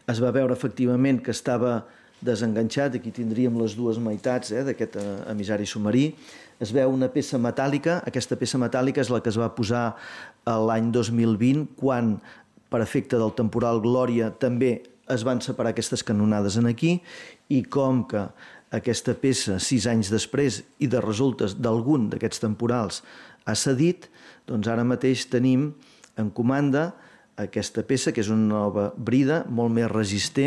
es va veure efectivament que estava desenganxat, aquí tindríem les dues meitats d'aquest emissari submarí. Es veu una peça metàl·lica, aquesta peça metàl·lica és la que es va posar l'any 2020, quan, per efecte del temporal Glòria, també es van separar aquestes canonades en aquí, i com que aquesta peça, 6 anys després, i de resultes d'algun d'aquests temporals ha cedit, doncs ara mateix tenim en comanda aquesta peça, que és una nova brida, molt més resistent,